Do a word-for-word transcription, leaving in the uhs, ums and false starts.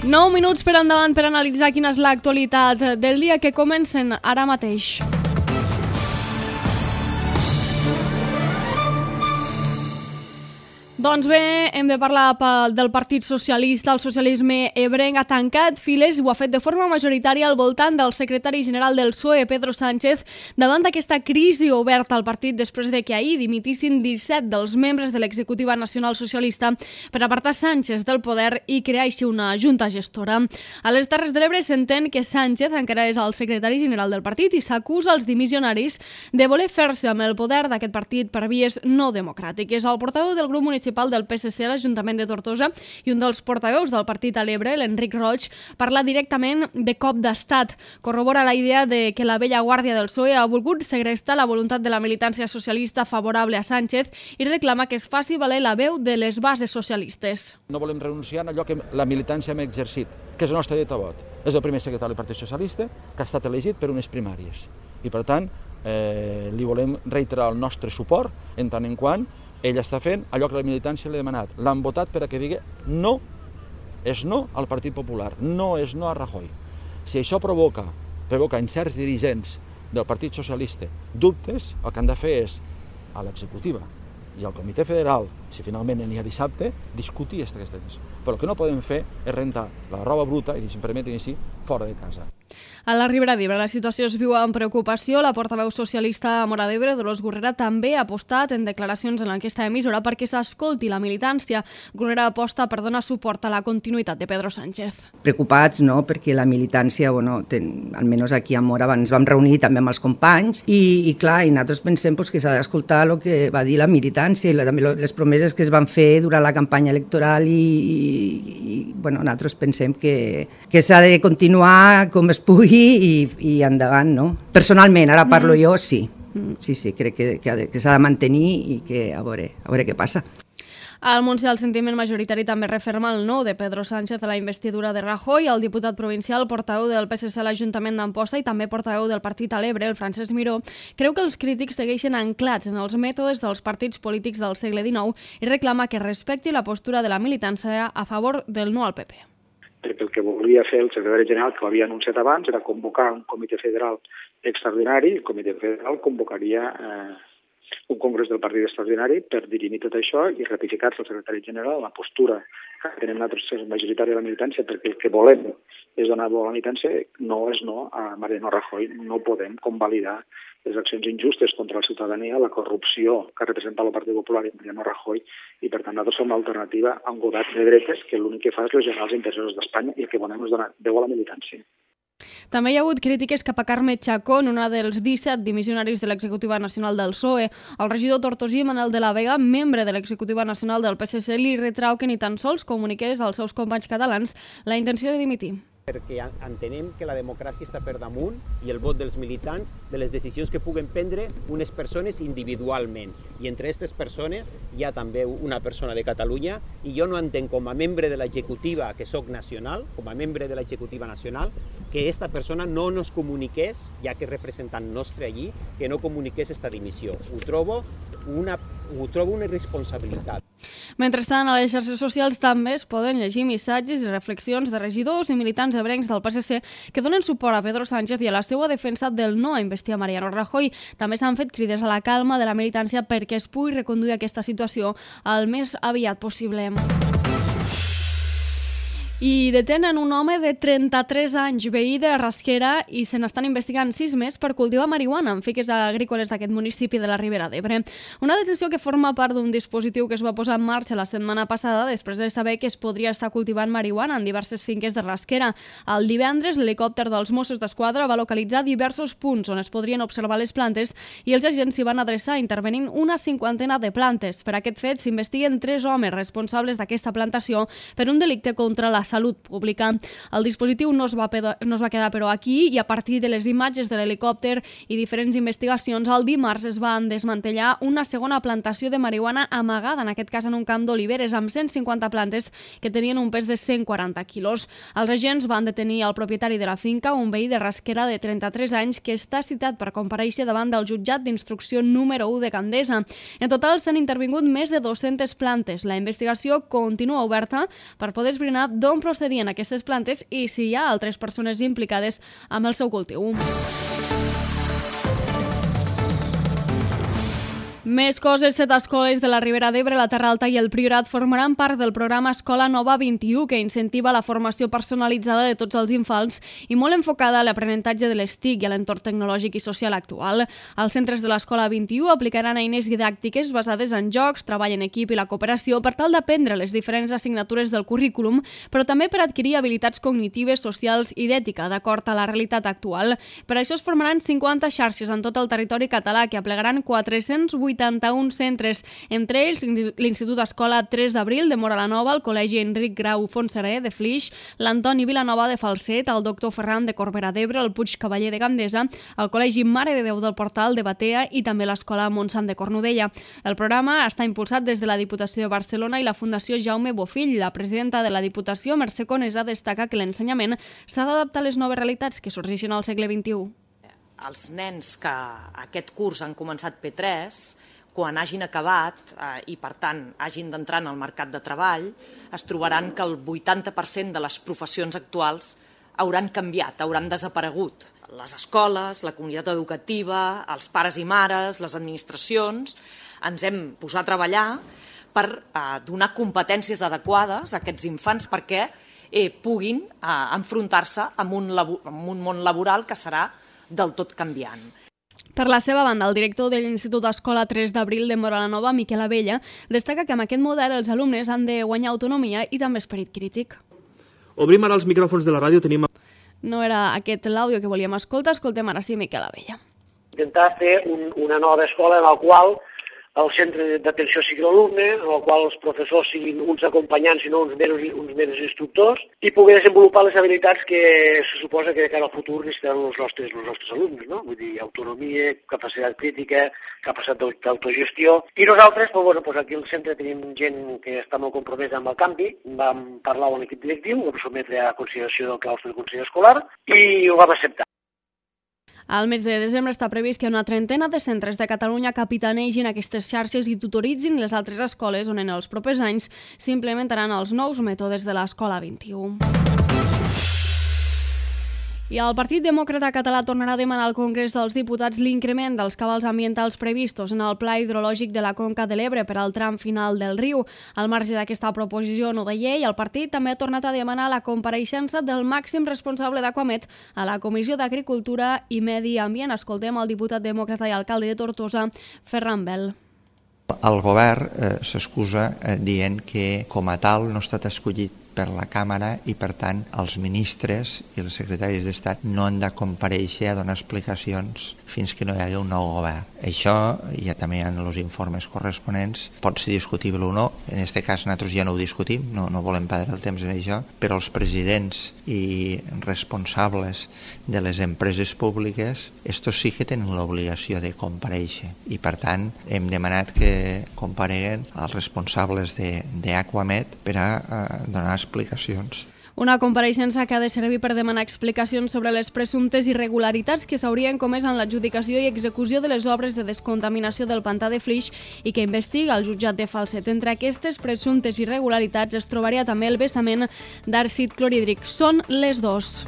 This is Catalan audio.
nou minuts per endavant per analitzar quina és l'actualitat del dia, que comencen ara mateix. Doncs bé, hem de parlar del Partit Socialista. El socialisme ebrenc ha tancat files i ho ha fet de forma majoritària al voltant del secretari general del P S O E, Pedro Sánchez, davant d'aquesta crisi oberta al partit després de que ahir dimitissin disset dels membres de l'executiva nacional socialista per apartar Sánchez del poder i crear així una junta gestora. A les Terres de l'Ebre s'entén que Sánchez encara és el secretari general del partit i s'acusa als dimissionaris de voler fer-se amb el poder d'aquest partit per vies no democràtiques. El portaveu del grup municipal del P S C a l'Ajuntament de Tortosa i un dels portaveus del partit a l'Ebre, l'Enric Roig, parla directament de cop d'estat. Corrobora la idea de que la vella guàrdia del P S O E ha volgut segrestar la voluntat de la militància socialista favorable a Sánchez i reclama que es faci valer la veu de les bases socialistes. No volem renunciar a allò que la militància hem exercit, que és el nostre dret a vot. És el primer secretari del Partit Socialista que ha estat elegit per unes primàries. I per tant, eh, li volem reiterar el nostre suport en tant en quant ell està fent allò que la militància li ha demanat. L'han votat per a que digui no, és no al Partit Popular, no és no a Rajoy. Si això provoca, provoca en certs dirigents del Partit Socialista dubtes, el que han de fer és a l'executiva i al Comitè Federal, si finalment n'hi ha dissabte, discutir aquestes coses. Però el que no podem fer és rentar la roba bruta, i si em permeten així, fora de casa. A la Ribera d'Ebre la situació es viu amb preocupació. La portaveu socialista a Móra d'Ebre, Dolors Gurrera, també ha apostat en declaracions en l'enquesta emissora perquè s'escolti la militància. Gurrera aposta per donar suport a la continuïtat de Pedro Sánchez. Preocupats, no?, perquè la militància, bueno, ten, almenys aquí a Móra ens vam reunir també amb els companys i, i clar, i nosaltres pensem pues, que s'ha d'escoltar el que va dir la militància i la, també les promeses que es van fer durant la campanya electoral i, i, i bueno, nosaltres pensem que, que s'ha de continuar com es pugui i, i endavant, no? Personalment, ara parlo mm. jo, sí. Sí, sí, crec que, que, que s'ha de mantenir i que a veure, a veure què passa. Al Montsià el sentiment majoritari també referma el no de Pedro Sánchez a la investidura de Rajoy. El diputat provincial, portaveu del P S C a l'Ajuntament d'Amposta i també portaveu del partit a l'Ebre, el Francesc Miró, creu que els crítics segueixen anclats en els mètodes dels partits polítics del segle dinou i reclama que respecti la postura de la militància a favor del no al P P. Perquè el que volia fer el secretari general, que ho havia anunciat abans, era convocar un comitè federal extraordinari. El comitè federal convocaria eh, un congrés del partit extraordinari per dirimir tot això i ratificar-se el secretari general la postura que tenem nosaltres majoritària de la militància, perquè el que volem és donar veu a la militància, no és no a Mariano Rajoy. No podem convalidar les accions injustes contra la ciutadania, la corrupció que representa el Partit Popular i Mariano Rajoy, i per tant nosaltres som l'alternativa a un govern de dretes que l'únic que fa és lesionar els interessos d'Espanya i el que volem és donar veu a la militància. També hi ha hagut crítiques cap a Carme Chacón, una dels disset dimissionaris de l'executiva nacional del P S O E. El regidor tortosí Manel de la Vega, membre de l'executiva nacional del P S C, li retrau que ni tan sols comuniqués als seus companys catalans la intenció de dimitir. Perquè entenem que la democràcia està per damunt i el vot dels militants de les decisions que puguen prendre unes persones individualment. I entre aquestes persones hi ha també una persona de Catalunya i jo no entenc com a membre de l'executiva, que sóc nacional, com a membre de l'executiva nacional, que aquesta persona no nos comuniqués, ja que és representant nostre allí, que no comuniqués esta dimissió. Ho trobo una, ho trobo una irresponsabilitat. Mentrestant, a les xarxes socials també es poden llegir missatges i reflexions de regidors i militants ebrencs del P S C que donen suport a Pedro Sánchez i a la seva defensa del no a investir a Mariano Rajoy. També s'han fet crides a la calma de la militància perquè es pugui reconduir aquesta situació el més aviat possible. I detenen un home de trenta-tres anys, veí de Rasquera, i se n'estan investigant sis més per cultivar marihuana en finques agrícoles d'aquest municipi de la Ribera d'Ebre. Una detenció que forma part d'un dispositiu que es va posar en marxa la setmana passada després de saber que es podria estar cultivant marihuana en diverses finques de Rasquera. El divendres, l'helicòpter dels Mossos d'Esquadra va localitzar diversos punts on es podrien observar les plantes i els agents s'hi van adreçar intervenint una cinquantena de plantes. Per aquest fet s'investiguen tres homes responsables d'aquesta plantació per un delicte contra la salut pública. El dispositiu no es, va peda, no es va quedar però aquí i a partir de les imatges de l'helicòpter i diferents investigacions, el dimarts es van desmantellar una segona plantació de marihuana amagada, en aquest cas en un camp d'oliveres, amb cent cinquanta plantes que tenien un pes de cent quaranta quilos. Els agents van detenir el propietari de la finca, un veí de Rasquera de trenta-tres anys, que està citat per comparèixer davant del jutjat d'instrucció número u de Gandesa. En total s'han intervingut més de dues-centes plantes. La investigació continua oberta per poder esbrinar d'on com procedien aquestes plantes i si hi ha altres persones implicades amb el seu cultiu. Més coses, set escoles de la Ribera d'Ebre, la Terra Alta i el Priorat formaran part del programa Escola Nova vint-i-u, que incentiva la formació personalitzada de tots els infants i molt enfocada a l'aprenentatge de les T I C i a l'entorn tecnològic i social actual. Els centres de l'Escola vint-i-u aplicaran eines didàctiques basades en jocs, treball en equip i la cooperació per tal d'aprendre les diferents assignatures del currículum, però també per adquirir habilitats cognitives, socials i d'ètica, d'acord a la realitat actual. Per això es formaran cinquanta xarxes en tot el territori català que aplegaran quatre-cents vuitanta-un centres, entre ells l'Institut Escola tres d'abril de Móra la Nova, el Col·legi Enric Grau Fontserè de Flix, l'Antoni Vilanova de Falset, el Doctor Ferran de Corbera d'Ebre, el Puig Cavaller de Gandesa, el Col·legi Mare de Déu del Portal de Batea i també l'Escola Montsant de Cornudella. El programa està impulsat des de la Diputació de Barcelona i la Fundació Jaume Bofill. La presidenta de la Diputació, Mercè Conesa, destaca que l'ensenyament s'ha d'adaptar a les noves realitats que sorgeixen al segle vint-i-u. Els nens que aquest curs han començat P tres, quan hagin acabat eh, i, per tant, hagin d'entrar en el mercat de treball, es trobaran que el vuitanta per cent de les professions actuals hauran canviat, hauran desaparegut. Les escoles, la comunitat educativa, els pares i mares, les administracions, ens hem posat a treballar per eh, donar competències adequades a aquests infants perquè eh, puguin eh, enfrontar-se amb un, amb un món laboral que serà del tot canviant. Per la seva banda, el director de l'Institut Escola tres d'abril de Móra la Nova, Miquel Abella, destaca que amb aquest model els alumnes han de guanyar autonomia i també esperit crític. Obrim ara els micròfons de la ràdio. Tenim... No era aquest l'àudio que volíem escoltar, escoltem ara sí Miquel Abella. Intentar fer un, una nova escola en la qual el centre d'atenció sigui l'alumne, en el qual els professors siguin uns acompanyants i no uns meros, uns meros instructors, i poder desenvolupar les habilitats que se suposa que de cara al futur necessitaran els nostres, els nostres alumnes, no? Vull dir, autonomia, capacitat crítica, capacitat d'autogestió. I nosaltres, doncs, bueno, doncs aquí al centre tenim gent que està molt compromesa amb el canvi, vam parlar amb l'equip directiu, ho vam sotmetre a consideració del claustre del Consell Escolar i ho vam acceptar. Al mes de desembre està previst que una trentena de centres de Catalunya capitanegin aquestes xarxes i tutoritzin les altres escoles on en els propers anys s'implementaran els nous mètodes de l'Escola vint-i-u. I el Partit Demòcrata Català tornarà a demanar al Congrés dels Diputats l'increment dels cabals ambientals previstos en el Pla Hidrològic de la Conca de l'Ebre per al tram final del riu. Al marge d'aquesta proposició no de llei, el partit també ha tornat a demanar la compareixença del màxim responsable d'Aquamet a la Comissió d'Agricultura i Medi Ambient. Escoltem el diputat demòcrata i alcalde de Tortosa, Ferran Bel. El govern eh, s'excusa eh, dient que com a tal no ha estat escollit per la Càmera i, per tant, els ministres i els secretaris d'Estat no han de comparèixer a donar explicacions fins que no hi hagi un nou govern. Això, ja també hi ha els informes corresponents, pot ser discutible o no. En aquest cas nosaltres ja no ho discutim, no, no volem perdre el temps en això, però els presidents i responsables de les empreses públiques, estos sí que tenen l'obligació de comparèixer i, per tant, hem demanat que compareguen els responsables d'Aquamet per a eh, donar explicacions. Una compareixença que ha de servir per demanar explicacions sobre les presumptes irregularitats que s'haurien comès en l'adjudicació i execució de les obres de descontaminació del pantà de Flix i que investiga el jutjat de Falset. Entre aquestes presumptes irregularitats es trobaria també el vessament d'àcid clorhídric. Són les dos.